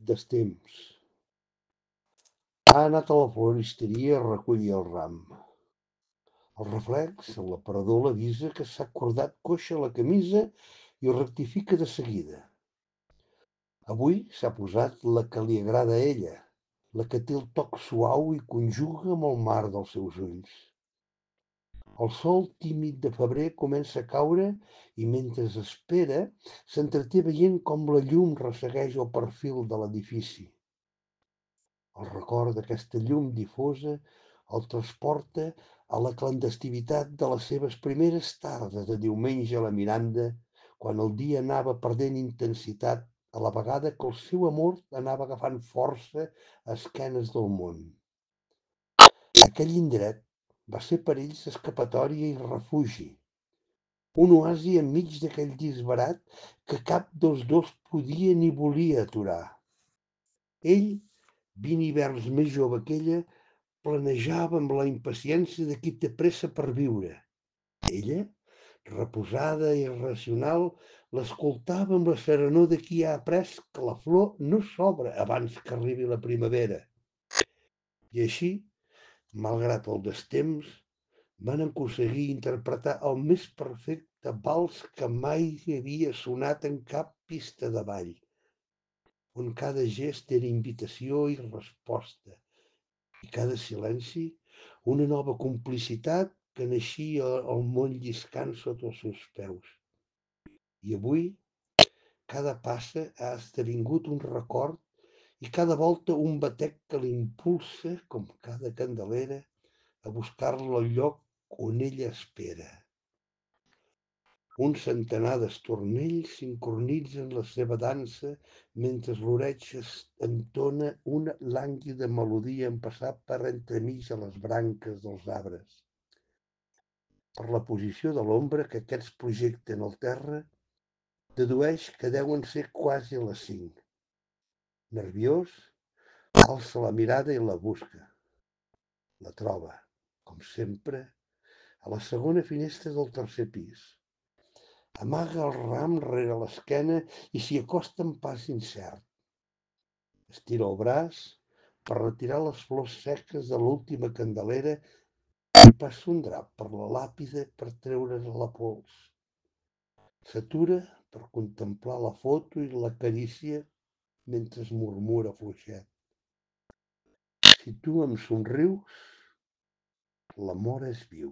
Destemps. Ha anat a la floristeria a recollir el ram. El reflex, l'aparador l'avisa que s'ha cordat coixa la camisa i ho rectifica de seguida. Avui s'ha posat la que li agrada a ella, la que té el toc suau i conjuga amb el mar dels seus ulls. El sol tímid de febrer comença a caure i mentre espera s'entreté veient com la llum ressegueix el perfil de l'edifici. El record d'aquesta llum difosa el transporta a la clandestinitat de les seves primeres tardes de diumenge a la Miranda, quan el dia anava perdent intensitat a la vegada que el seu amor anava agafant força a esquenes del món. Aquell indret va ser per ells escapatòria i refugi, un oasi enmig d'aquell disbarat que cap dels dos podia ni volia aturar. Ell, 20 hiverns més jove que ella, planejava amb la impaciència de qui té pressa per viure. Ella, reposada i racional, l'escoltava amb la serenor de qui ha après que la flor no s'obre abans que arribi la primavera. I així, malgrat el destemps, van aconseguir interpretar el més perfecte vals que mai havia sonat en cap pista de ball, on cada gest era invitació i resposta, i cada silenci una nova complicitat que naixia el món lliscant sota els seus peus. I avui cada passa ha esdevingut un record i cada volta un batec que l'impulsa, com cada candelera, a buscar-la al lloc on ella espera. Un centenar d'estornells sincronitzen la seva dansa mentre l'oreig entona una lànguida melodia en passar per entremig de les branques dels arbres. Per la posició de l'ombra que aquests projecten al terra, dedueix que deuen ser quasi les 5. Nerviós, alça la mirada i la busca. La troba, com sempre, a la segona finestra del tercer pis. Amaga el ram rere l'esquena i s'hi acosta amb pas incert. Estira el braç per retirar les flors seques de l'última candelera i passa un drap per la làpida per treure'n la pols. S'atura per contemplar la foto i l'acarícia mentre es murmura fluixet. Si tu em somrius, l'amor és viu.